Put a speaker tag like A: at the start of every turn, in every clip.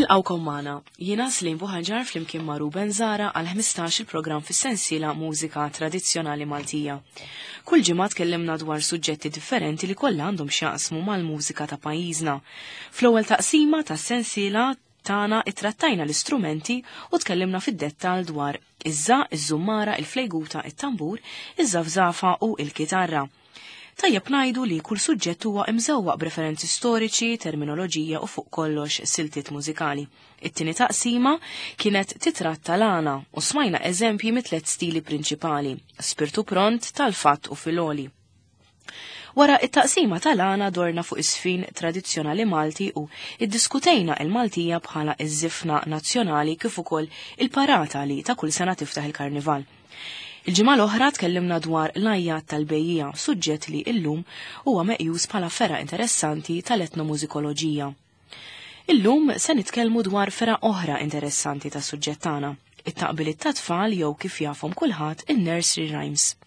A: Nilqawkom magħna. Jiena Slim Buħaġar flimkien ma' Ruben Zara għal 15 il-programm fis-sensiela Mużika Tradizzjonali Maltija. Kull ġimgħa tkellimna dwar suġġetti differenti li kollha għandhom x'jaqsmu mal-mużika ta' pajjiżna. Fl-ewwel taqsima tas-sensiela tagħna ittrattajna l-istrumenti u tkellimna fid-dettall dwar iż-żaq, iż-żummara, il-flejguta, it-tambur, iż-żafżafa u il-kitarra. Tajjeb ngħidu li kull suġġett huwa imżewwaq b'referenzi storiċi, terminoloġija u fuq kollox siltiet mużikali. It-tieni taqsima kienet titratta l-għana u smajna eżempji mit-tliet stili prinċipali, spirtu pront, tal-fatt u filoli. Wara it-taqsima tal-għana dorna fuq is-sfin tradizzjonali Malti u iddiskutejna il-Maltija bħala iż-żifna nazzjonali kif ukoll il-parata li ta' kull sena tiftaħ il-karnival. Il-ġimgħa l-oħra tkellimna dwar l-għajjat tal-bejjiegħa, suġġett li illum huwa meqjus bħala fergħa interessanti tal-etnomużikoloġija. Illum se nitkellmu dwar fergħa oħra interessanti tas-suġġett tagħna, it-taqbiliet tat-tfal jew kif jafhom kulħadd in-nursery rhymes.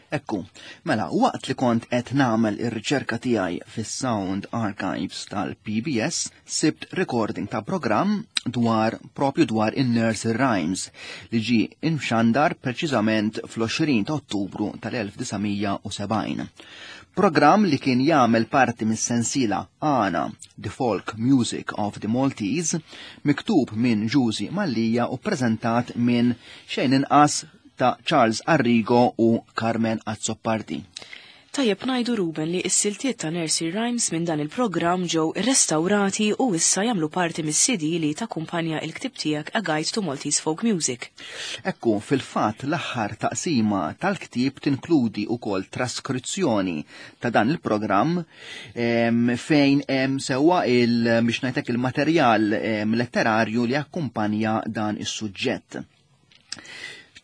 B: Ekku, mela, waqt li kont qed nagħmel ir-riċerka tiegħi fis-Sound Archives tal-PBS, sibt recording ta' programm dwar propju dwar in-nursery rhymes li ġie imxandar preċiżament fl-20 ta' Ottubru tal-1970. Programm li kien jagħmel parti mis-sensiela Għana, The Folk Music of the Maltese, miktub minn Ġużi Mallia u preżentat minn xejn inqas ta' Charles Arrigo u Carmen Azzopardi.
A: Tajjeb ngħidu Ruben li s-siltiet ta' Nursery Rhymes minn dan il-programm ġew irrestawrati u issa jagħmlu parti mis-CD li takkumpanja il-ktieb tiegħek A Guide to Maltese Folk Music.
B: Ekku, fil-fatt l-aħħar taqsima tal-ktieb tinkludi wkoll traskrizzjoni ta' dan il-programm fejn hemm sewwa il biex ngħidlek il-materjal letterarju li akkumpanja dan is-suġġett.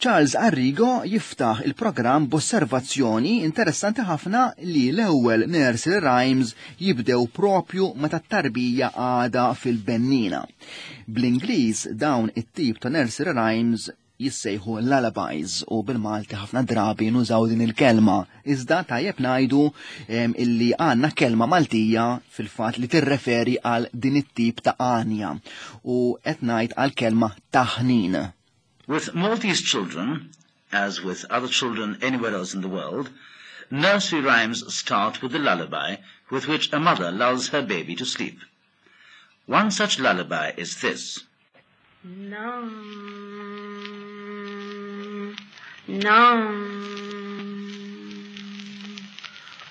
B: Charles Arrigo jiftaħ il-programm b'osservazzjoni interessanti ħafna li l-ewwel nursery rhymes jibdew propju meta t-tarbija għada fil-bennina. Bl-Ingliż dawn it-tip ta' nursery rhymes jissejħu lullabies u bil-Malti ħafna drabi nużaw din il-kelma. Iżda tajjeb ngħidu illi għandna kelma Maltija fil-fatt li tirreferi għal din it-tip ta' għanja u qed ngħid għal kelma taħnin.
C: With Maltese children, as with other children anywhere else in the world, nursery rhymes start with the lullaby with which a mother lulls her baby to sleep. One such lullaby is this.
D: Nam, nam.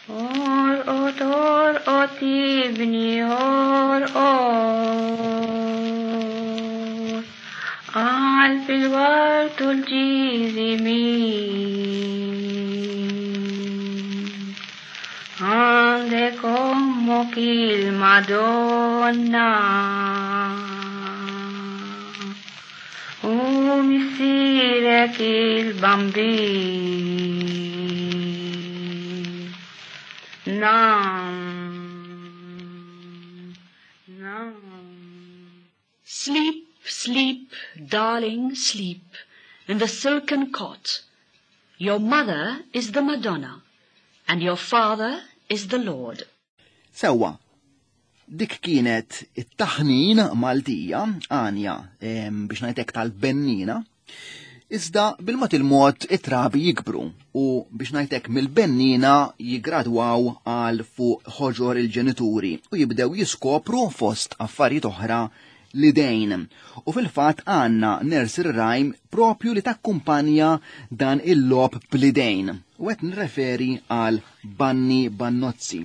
D: Orqod, orqod, ibni, orqod. Qalb il-ward u l-ġiżi min. Għandek ommok il-Madonna. U missierek il-Bambin. Nam, nam.
E: Sleep, sleep, darling, sleep, in the silken cot. Your mother is the Madonna, and your father is the Lord.
B: Sewwa, dik kienet it-taħnin Maltija, għanja biex ngħidlek tal-bennina, iżda bil-mod il-mod it-trabi jikbru u biex ngħidlek mill-bennina jigradwaw għal fuq ħoġor il-ġenituri u jibdew jiskopru fost affarijiet oħra l-idejn. U fil-fatt għandna nursery rhyme propju li takkumpanja dan il-logħob bl-idejn. U qed nirreferi għal Banni Bannozzi.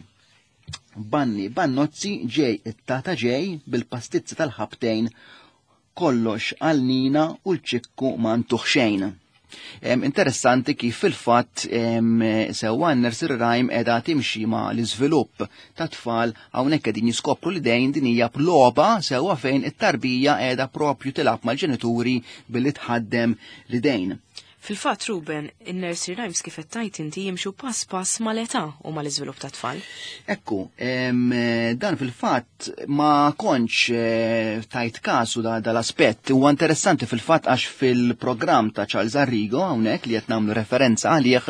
B: Banni Bannozzi ġej it-tata ġej bil-pastizzi tal-ħabtejn kollox għal Nina u l-ċikku ma ntuh xejn. Interessanti kif fil-fatt sewwa n-nursery rhyme qiegħda timxi ma l-iżvilupp ta' tfal hawnhekk qegħdin jiskopru li dejn din hija logħba sewwa fejn it-tarbija qiegħda propju tilgħab mal-ġenituri billi tħaddem l-idejn.
A: Fil-fatt, Ruben, in-nursery rhymes kif qed tgħid inti jimxu pass pass mal-età u mal-iżvilupp ta' tfal.
B: Ekku, dan fil-fatt ma kontx tajt kasu da dal-aspett. Huwa interessanti fil-fatt għax fil-programm ta' Charles Arrigo hawnhekk li qed nagħmlu referenza għalih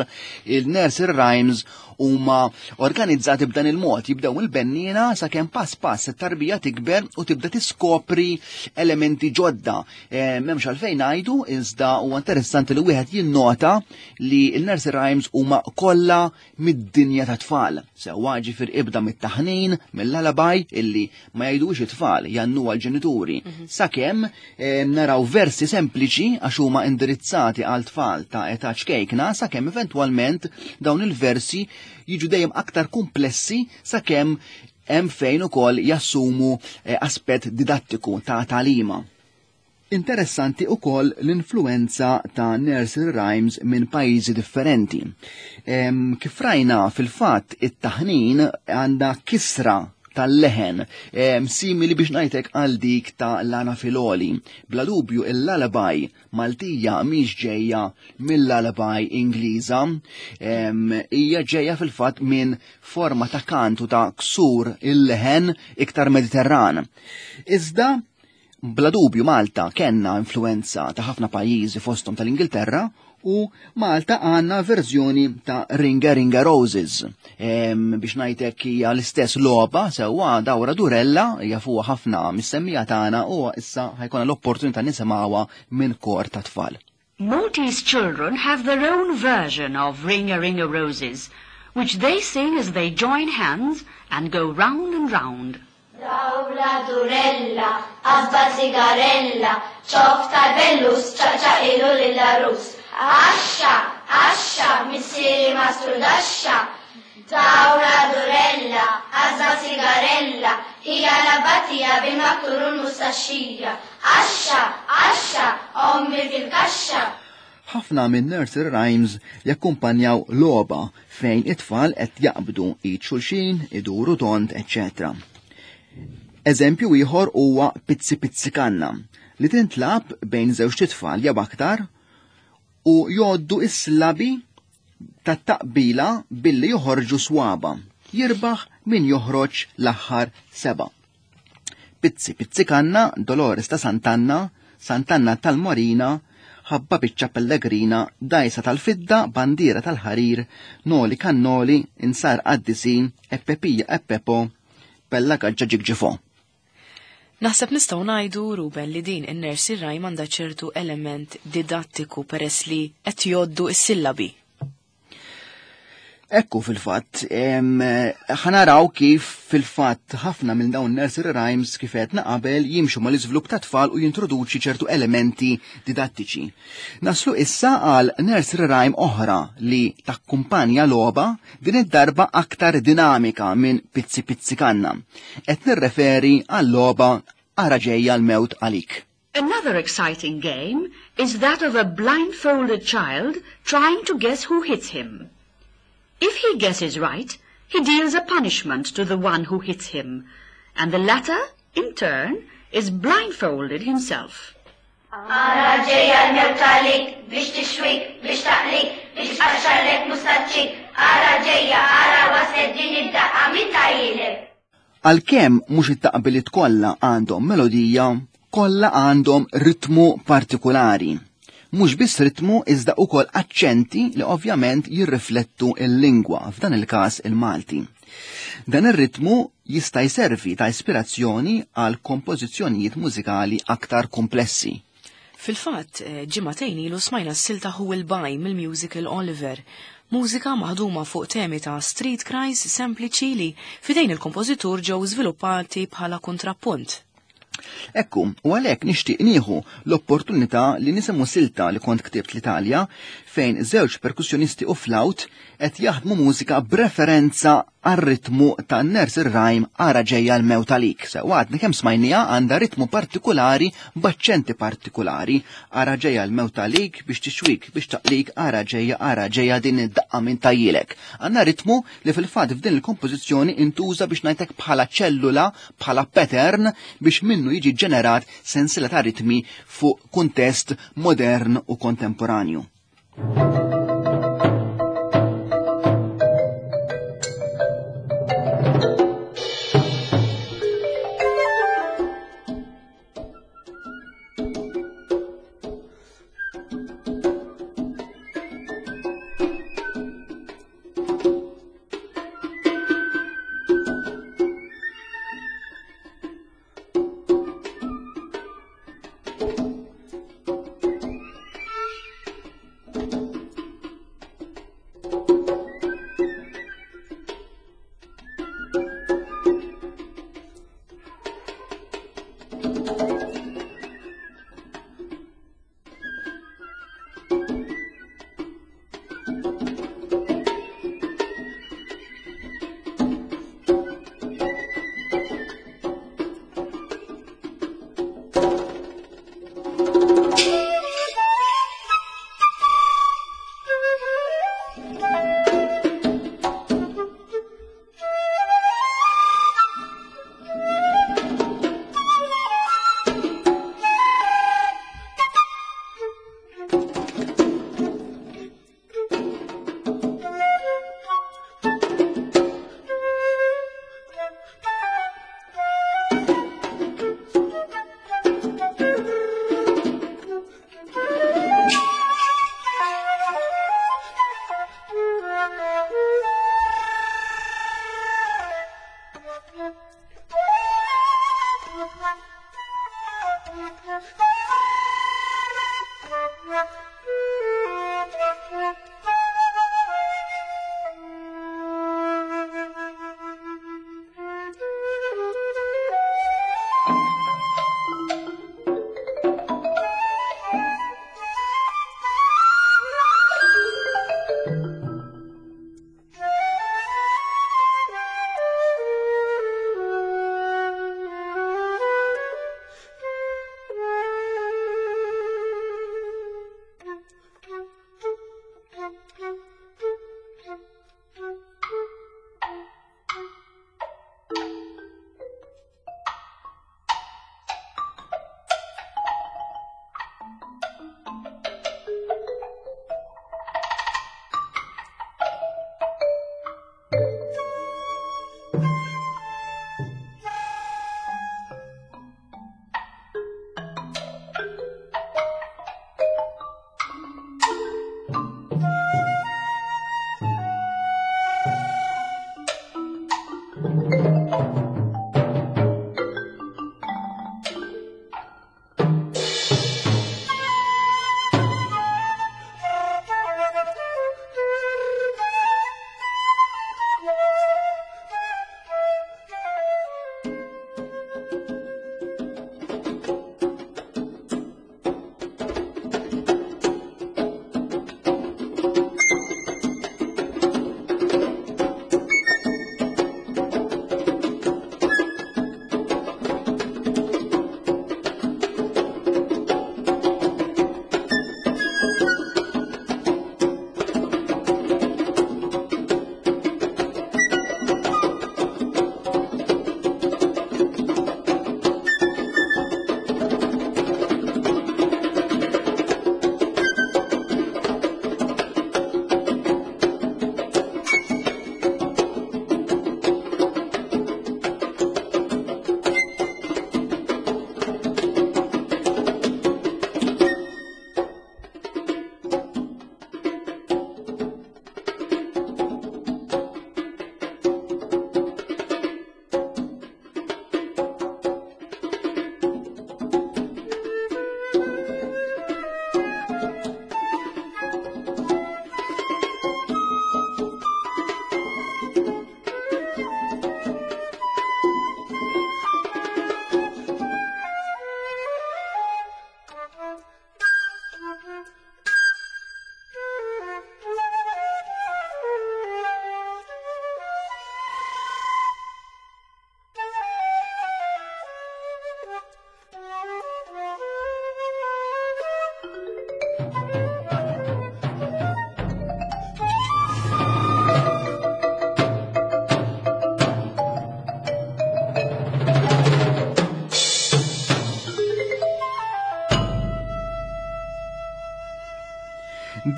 B: il-nursery rhymes. huma organizzati b'dan il-mod, jibdew il-benniena sakemm pass pass it-tarbija tikber u tibda tiskopri elementi ġodda. E, m'hemmx għalfejn ngħidu iżda huwa interessanti li wieħed jinnota li l-nursery rhymes huma kollha mid-dinja ta' tfal. Sewwa ġifier ibda mit-taħnin, mill-lullaby illi ma jgħidux it-tfal, jannu għal-ġenituri. Sakemm naraw versi sempliċi għax huma indirizzati għal tfal ta' età ċkejkna, sakemm eventwalment dawn il-versi jiġu dejjem aktar komplessi sakemm hemm fejn ukoll jassumu aspett didattiku ta' talima. Interessanti ukoll l-influenza ta' nursery rhymes minn pajjiżi differenti. Kif rajna fil-fatt it-taħnin għandha kisra tal-leħen, simili biex ngħidlek għal dik ta' Lana Filoli. Bla dubju il-lullaby Maltija mhix ġejja mill-lullaby Ingliża, hija ġejja fil-fatt minn forma ta' kantu ta' ksur il-leħen iktar Mediterran. Iżda bla dubju Malta kenna influenza ta' ħafna pajjiżi fosthom tal-Ingilterra u Malta għandna verżjoni ta' Ringa Ringa Roses. Biex ngħidlek hija l-istess logħba sewwa dawra durella hija fuqha ħafna mis-semmija tagħna u issa ħajkonna l-opportunità nisimgħuha minn kor ta' tfal.
E: Maltese children have their own version of Ring a Ring a Roses, which they sing as they join hands and go round and round.
F: Dawra durella, qasba sigarella, ċoff tal-bellus, ċaqċaq ilu lill-għarus. Għaxxa, għaxxa, missieri mastrudaxxa. Dawra durella, qasba sigarella, hija l-abbatija bil-maktur u l-mustaxxija. Għaxxa, għaxxa, ommi fil-kaxxa.
B: Ħafna minn nursery rhymes jakkumpanjaw logħba fejn it-tfal qed jaqbdu id xulxin, iduru tont, eccetera. Eżempju ieħor huwa Pizzi Pizzi Kanna li tintlab bejn żewġ tfal jew aktar u jgħoddu is-sillabi tat-taqbila billi joħorġu swaba. Jirbaħ min joħroġ l-aħħar 7. Pizzi Pizzi Kanna, Dolores ta' Sant'Anna, Sant'Anna tal-Marina, ħabba biċċa Pellegrina, dajsa tal-fidda, bandiera tal-ħarir, noli kannoli, insar qaddisin, eppepija eppepo, bella gaġġa ġigġifo.
A: Naħseb nistgħu ngħidu, Ruben, li din in-nursery rhyme għandha ċertu element didattiku peress li qed jgħoddu s-sillabi.
B: Ekku fil-fatt, ħanaraw kif fil-fatt ħafna minn dawn nursery rhymes kif għedna qabel jimxu mal-iżvilupp ta' tfal u jintroduċi ċertu elementi didattiċi. Naslu issa għal nursery rhyme oħra li takkumpanja logħba din id-darba aktar dinamika minn Pizzi Pizzi Kanna. Qed nirreferi għal logħba Ara ġejja l-mewt għalik.
E: Another exciting game is that of a blindfolded child trying to guess who hits him. If he guesses right, he deals a punishment to the one who hits him, and the latter, in turn, is blindfolded himself.
F: Ara ġejja l-mewt għalik biex tixwik, biex taqlik, biex tqaxxarlek mustaċċik. Ara ġejja, ara waslet din id-daqqa min tajjilek.
B: Għalkemm mhux it-taqbiliet kollha għandhom melodija, kollha għandhom ritmu partikolari. Mhux biss ritmu iżda ukoll aċċenti li ovvjament jirriflettu l-lingwa, f'dan il-każ il-Malti. Dan ir-ritmu jista' jservi ta' ispirazzjoni għal kompożizzjonijiet mużikali aktar komplessi.
A: Fil-fatt, ġimagħtejn ilu smajna s-silta Who Will Buy mill-musical Oliver, mużika maħduma fuq temi ta' street cries sempliċi li fidejn il-kompożitur ġew żviluppati bħala kontrappunt.
B: Ekku, u għalhekk nixtieq nieħu l-opportunità li nisimgħu silta li kont ktibt l-Italja fejn żewġ perkussjonisti u flaut qed jaħdmu mużika b'referenza għar-ritmu ta' nursery rhyme Ara ġejja l-mewt għalik. Sewa għadni kemm smajnija għandha ritmu partikolari b'aċċenti partikolari. Ara ġejja l-mewt għalik biex tixwik, biex taqlik, ara ġejja, ara ġejja din id-daqqa minn tajjilek. Għandna ritmu li fil-fatt f'din il-kompożizzjoni intuża biex ngħidlek bħala ċellula, bħala pattern biex minnu jiġi ġenerat sensiela ta' ritmi fuq kuntest modern u kontemporanju.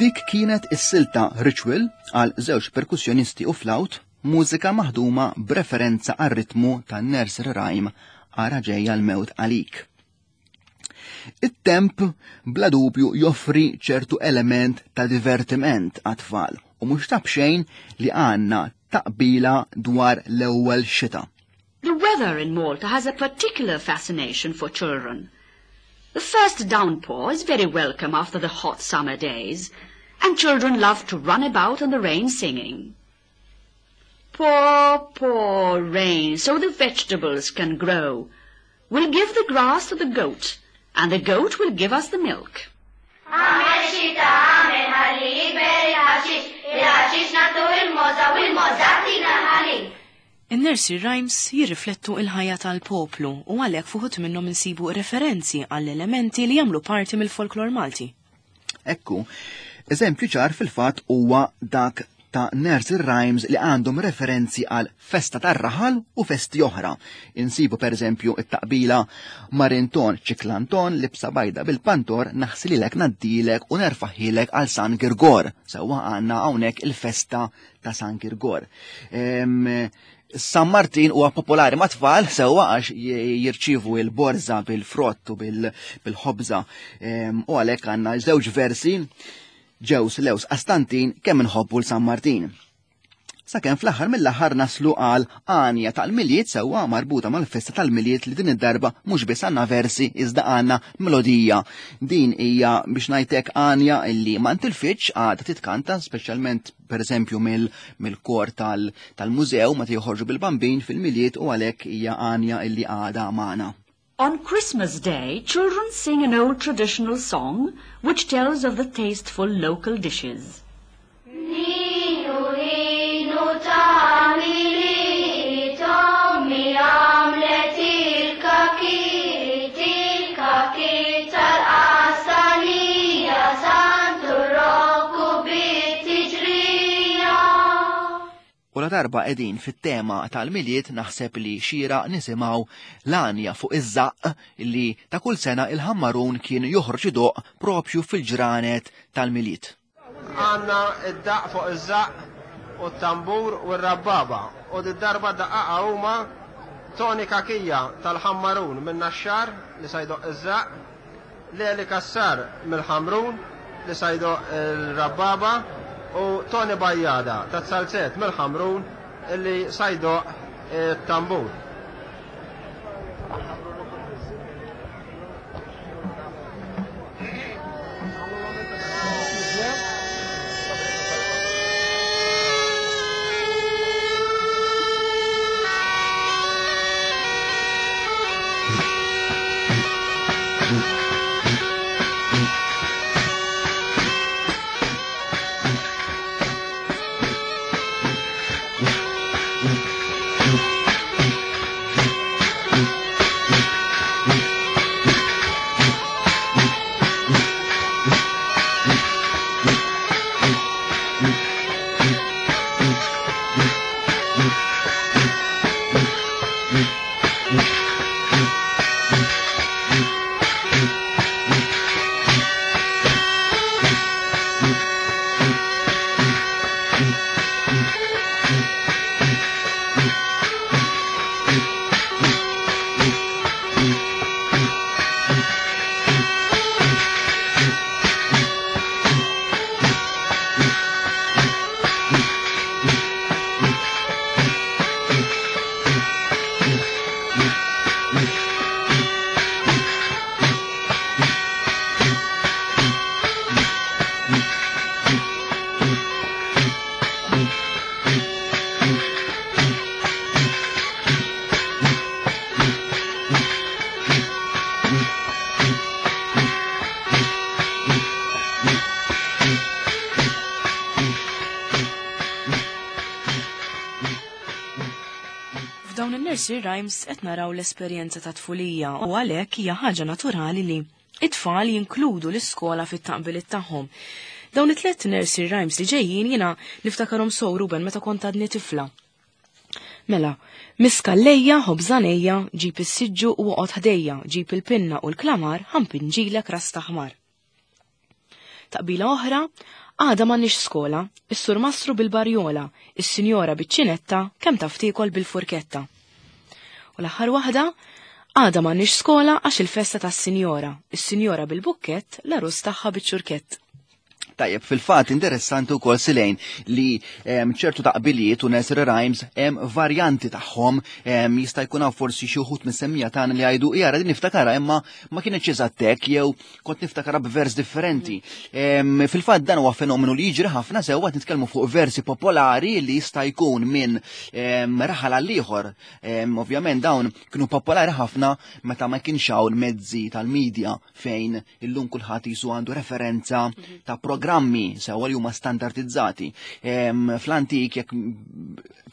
B: Dik kienet is-silta Ritual għal żewġ perkussjonisti u flaut, mużika maħduma b'referenza għar ritmu tan nursery rhyme Ara ġejja l-mewt għalik. It-temp bla dubju joffri ċertu element ta' divertiment għat-tfal u mhux ta' b'xejn li għandna taqbila dwar l-ewwel xita.
E: The weather in Malta has a particular fascination for children. The first downpour is very welcome after the hot summer days, and children love to run about in the rain singing. Pour, pour rain, so the vegetables can grow. We'll give the grass to the goat, and the goat will give us the milk.
F: Agħmel xita, agħmel ħalli jikber il-ħaxix, il-ħaxix nagħtuh il-mogħża u l-mogħża ttina l-ħalib.
A: In-nursery rhymes jirriflettu il-ħajja tal-poplu u għalhekk f'uħud minnhom insibu referenzi għall elementi li jagħmlu parti mill-folklor Malti.
B: Ekku, eżempju ċar fil-fatt huwa dak ta' nursery rhymes li għandhom referenzi għal festa tar-raħal u festi oħra. Insibu per eżempju it-taqbila Marinton ċiklanton libsa bajda bil-pantor naħsililek naddilek u nerfaħilek għal San Girgor. Sewwa għandna hawnhekk il-festa ta' San Girgor. San Martin huwa popolari ma' tfal sewwa għax jirċievu il-borża bil-frott u bil-ħobża u għalhekk għandna żewġ versi ġews lews Qastantin kemm inħobbu l San Martin. Sakemm fl-aħħar mill-aħħar naslu għal għanja tal-Milied sewwa marbuta mal-festa tal-Milied li din id-darba mhux biss għandna versi iżda għandna melodija. Din hija biex ngħidlek għanja illi ma ntilfitx għadha titkanta speċjalment pereżempju mill-kor tal-mużew meta joħorġu bil-bambin fil-Milied u għalhekk hija għanja illi għadha magħna.
E: On Christmas Day, children sing an old traditional song which tells of the tasteful local dishes.
F: Ninu, ninu ta' Milied, ommi għamlet il-kakit, il-kakit tal-qastanija, Santu Rokku bit-tiġrija.
B: U la darba qegħdin fit-tema tal-Milied naħseb li xieraq nisimgħu l-għanja fuq iż-żaqq li ta' kull sena il-Ħammarun kien joħroġ idoqq propju fil-ġranet tal-Milied.
G: Għandna d-daqq fuq iż-żaqq u t-tambur u r-rabbaba u did-darba d-daqqaqa huma Tony Cachia tal-Ħammarun min-Naxxar li sa jdoqq iż-żaqq, Leli Cassar mill-Ħamrun li sa jdoqq il-rabbaba u Tony Bajada tat-Salzett mill-Ħamrun li sa jdoqq it-tambur.
A: F'dawn in-nursery rhymes qed naraw l-esperjenza ta' tfulija u għalhekk hija ħaġa naturali li it-tfal jinkludu l-iskola fit-taqbiliet tagħhom. Dawn it-tliet nursery rhymes li ġejjin jiena niftakarhom sew Ruben meta kont għadni tifla. Mela, miskallejja, ħobżanejja, ġib is-siġġu u oqgħod ħdejja, ġib il-pinna u l-klamar, ħampinġilek ras taħmar. Taqbila oħra, għada m'għandniex skola, is-sur mastru bil-barjola, is-sinjora biċ-ċinetta, kemm taf tiekol bil-furketta. U l-aħħar waħda, għada m'għandniex skola għax il-festa tas-sinjora, is-sinjora bil-bukkett, l-għarus tagħha biċ-ċurkett.
B: Tajjeb, fil-fatt interessanti wkoll Silejn li ċertu taqbiliet u nursery rhymes hemm varjanti tagħhom, jista' jkun hawn forsi xi wħud mis-semmija tagħna li jgħidu jara din niftakarha imma ma kienx eżatt hekk jew kont niftakarha b'vers differenti. Fil-fatt dan huwa fenomenu li jiġri ħafna sewwa qed nitkellmu fuq versi popolari li jista' jkun minn raħal għal ieħor. Ovvjament dawn kienu popolari ħafna meta ma kienx hawn mezzi tal-medja fejn illum kulħadd jisu għandu referenza ta' programmi sewwa li huma standardizzati. Fl-antik jekk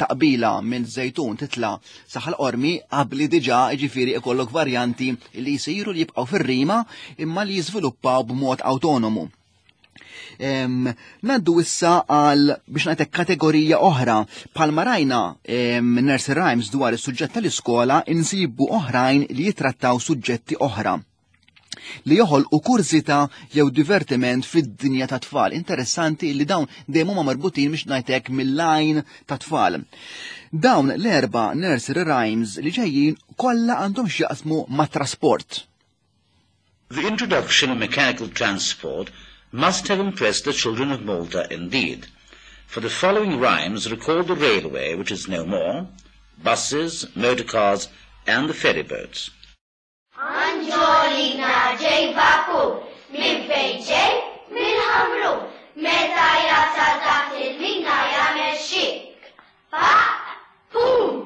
B: taqbila minn żejtun titla' saħal qormi qabli diġà jiġifieri ikollok varjanti li jsiru li jibqgħu fir-rima imma li jiżviluppaw b'mod awtonomu. Naddu issa għal biex ngħidlek kategorija oħra. Bħalma rajna nursery rhymes dwar is-suġġett tal-iskola insibu oħrajn li jitrattaw suġġetti oħra li joħolqu kurżità jew divertiment fid-dinja ta' tfal. Interessanti li dawn dejjem huma marbutin biex ngħidlek mill-għajn ta' tfal. Dawn l-erba' nursery rhymes li ġejjin kollha għandhom x'jaqsmu ma' trasport.
C: The introduction of mechanical transport must have impressed the children of Malta indeed. For the following rhymes recall the railway, which is no more, buses, motor cars, and the ferry boats.
F: Anġolina ġej vapur, minn fejn ġej? Mill-Ħamrun. Meta jasal taħt il-mina jagħmel xik. Pa, pum!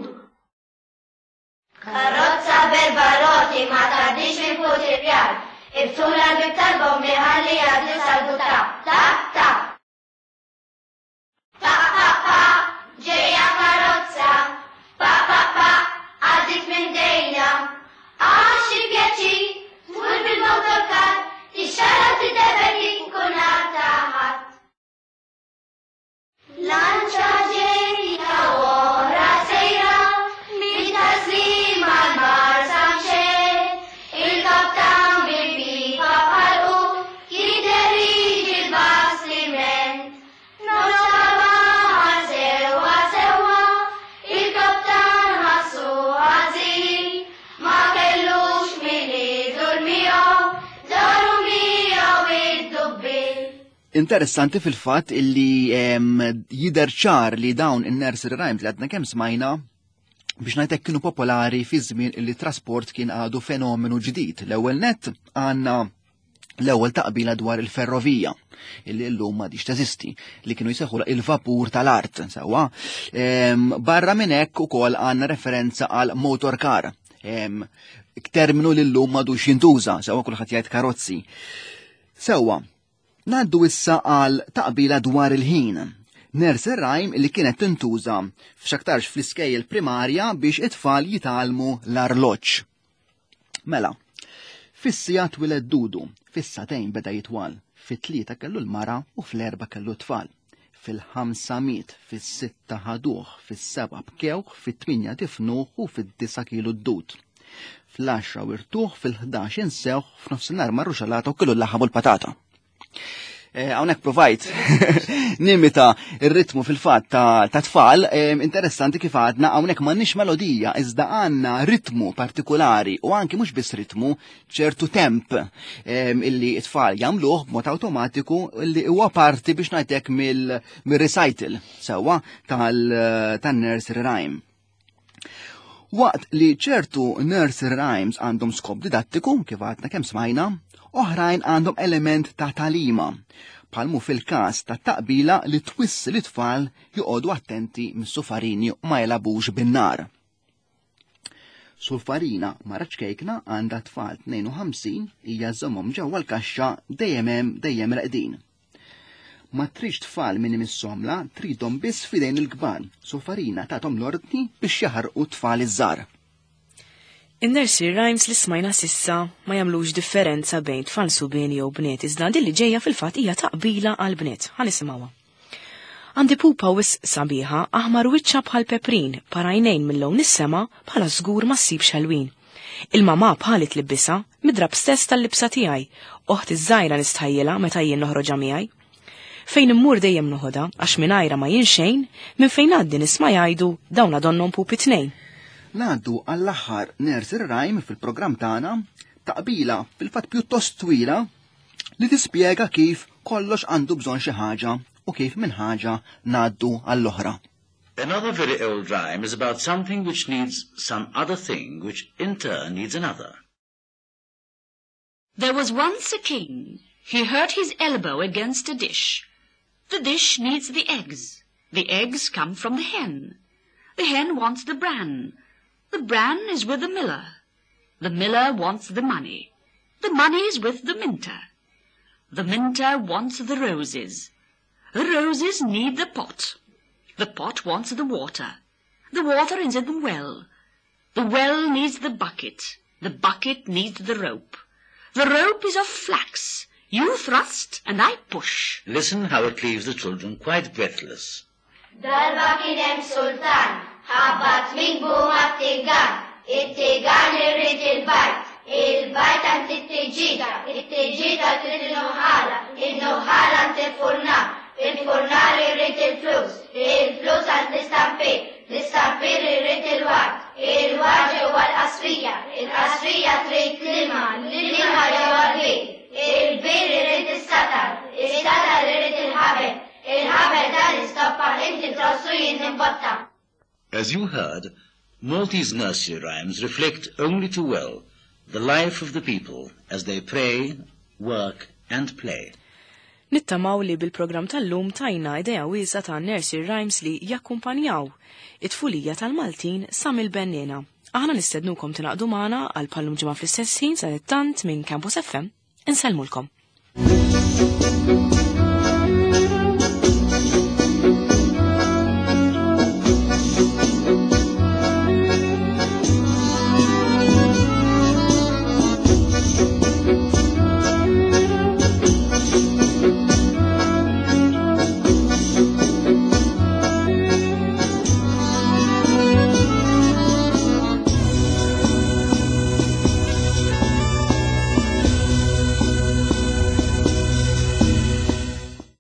F: Karozza b'erba' roti ma tgħaddix minn fuq ir-rjal. Iftħulha l-bieb tal-bombi ħalli jgħaddi sal-butà. Ta, ta! Pa, pa, pa, ġejja karozza. Pa, pa, pa, għaddiet minn ħdejna. Ah, xi pjaċir, tmur bil-motorkar, tixxara u tiddeverti tkun għad ta' ħadd. Lanċa ġejja u oħra sejra, minn Tas-Sliema għall-Marsa mxejt. Il-kaptan bil-pipa f'ħalqu jidher jiġi l-bastiment. Nofs ta' sewwa sewwa, il-kaptan ħassu ħażin, ma kellux min idur miegħu, daru miegħu id-dubbien.
B: Interessanti fil-fatt illi jidher ċar li dawn in-nursery rhymes li għadna kemm smajna biex ngħidlek kienu popolari fi żmien illi trasport kien għadu fenomenu ġdid. L-ewwel net għandna l-ewwel taqbila dwar il-ferrovija illi llum m'għadix teżisti li kienu jsejħulha il-vapur tal-art sewwa. Barra minn hekk ukoll għandna referenza għal motor car. Terminu li llum m'għadux jintuża, sewwa kulħadd jgħid karozzi. Sewwa, ngħaddu issa għal taqbila dwar il-ħin. Nursery rhyme li kienet tintuża f'xaktarx fl-iskejjel primarja biex it-tfal jitgħallmu l-arloġġ. Mela, fis-siegħa twieled Dudu, fis-sagħtejn beda jitwal, fit-tlieta kellu l-mara u fl-erbgħa kellu t-tfal. Fil-ħamsa miet, fis-sitta ħaduh, fis-sebgħa bkewh, fit-tmienja difnuh u fid-disgħa kielu d-dud. Fl-għaxra wirtuh, fil-ħdax insewh, f'nofsinhar marru xalata u kielu l-laħam u l-patata. Hawnhekk provajt nimita ir-ritmu fil-fatt ta' tfal, interessanti kif għadna hawnhekk m'għandniex melodija iżda għandna ritmu partikolari u anki mhux biss ritmu, ċertu temp illi t-tfal jagħmluh b'mod awtomatiku illi huwa parti biex ngħidlek mill-recital sewwa tan-nursery rhyme. Waqt li ċertu nursery rhymes għandhom skop didattiku, kif għadna kemm smajna, oħrajn għandhom element ta' tagħlima, bħalmu fil-każ ta' taqbila li twissi li tfal joqogħdu attenti mis-sufarini u ma jilagħbux bin-nar. Sulfarina mara ċkejkna għandha tfal 52 hija żommhom ġewwa l-kaxxa dejjem hemm dejjem reqdin. Ma tridx tfal min imissomla, tridhom biss f'idejn il-kbar. Sulfarina tathom l-ordni biex jaħarqu t-tfal iż-żgħar.
A: In-nursery rhymes li smajna s'issa ma jagħmlux differenza bejn tfal subien jew bniet iżda din li ġejja fil-fatt hija taqbila għall-bniet. Ħa nisimgħuha. Għandi pupa wisq sabiħa, aħmar wiċċha bħal peprin, par għajnejn minn lewn is-sema, bħala żgur ma ssibx ħelwin. Il-mamà bħali tlibbisha, mid-drapp stess tal-libsa tiegħi, oħti ż-żgħira nistħajjilha meta jien noħroġha miegħi. Fejn immur dejjem noħodha, għax mingħajrha ma jien xejn, minn fejn ngħaddi nisma' jgħidu, dawn donnhom pupi tnejn.
B: Ngħaddu għall-aħħar nursery rhyme fil-programm tagħna, taqbila fil-fatt pjuttost twila li tispjega kif kollox għandu bżonn xi ħaġa u kif minn ħaġa ngħaddu għall-oħra.
C: Another very old rhyme is about something which needs some other thing which in turn needs another.
E: There was once a king. He hurt his elbow against a dish. The dish needs the eggs. The eggs come from the hen. The hen wants the bran. The bran is with the miller. The miller wants the money. The money is with the minter. The minter wants the roses. The roses need the pot. The pot wants the water. The water is in the well. The well needs the bucket. The bucket needs the rope. The rope is of flax. You thrust and I push.
C: Listen how it leaves the children quite breathless.
F: Darba kien hemm sultan, ħabat minkbu mat-tigan, it-tigan irid il-bajd, il-bajd għand it-tiġiġa, it-tiġiġa trid in-nuħħala, in-nuħħala għand il-furnar, il-furnar irid il-flus, il-flus għand l-istampir, l-istampir irid il-ward, il-ward ġewwa l-qasrija, il-qasrija trid l-ilma, l-ilma ġewwa l-bir, il-bir irid is-satar, is-satar irid il-ħabel, il-ħabel tal-istoppa. Inħoss u jien nimbotta.
C: As you heard, Maltese nursery rhymes reflect only too well the life of the people as they pray, work and play.
A: Nittamaw li bil-programm tal-lum tajna idea wiesa ta' nursery rhymes li jakkumpanjaw it-tfulija tal-Maltin sa mill-bennina. Aħna nistednukom tingħaqdu magħna għal bħal-lum ġimgħa fl-istess ħin sa tant minn Campus FM. Insellmulkom.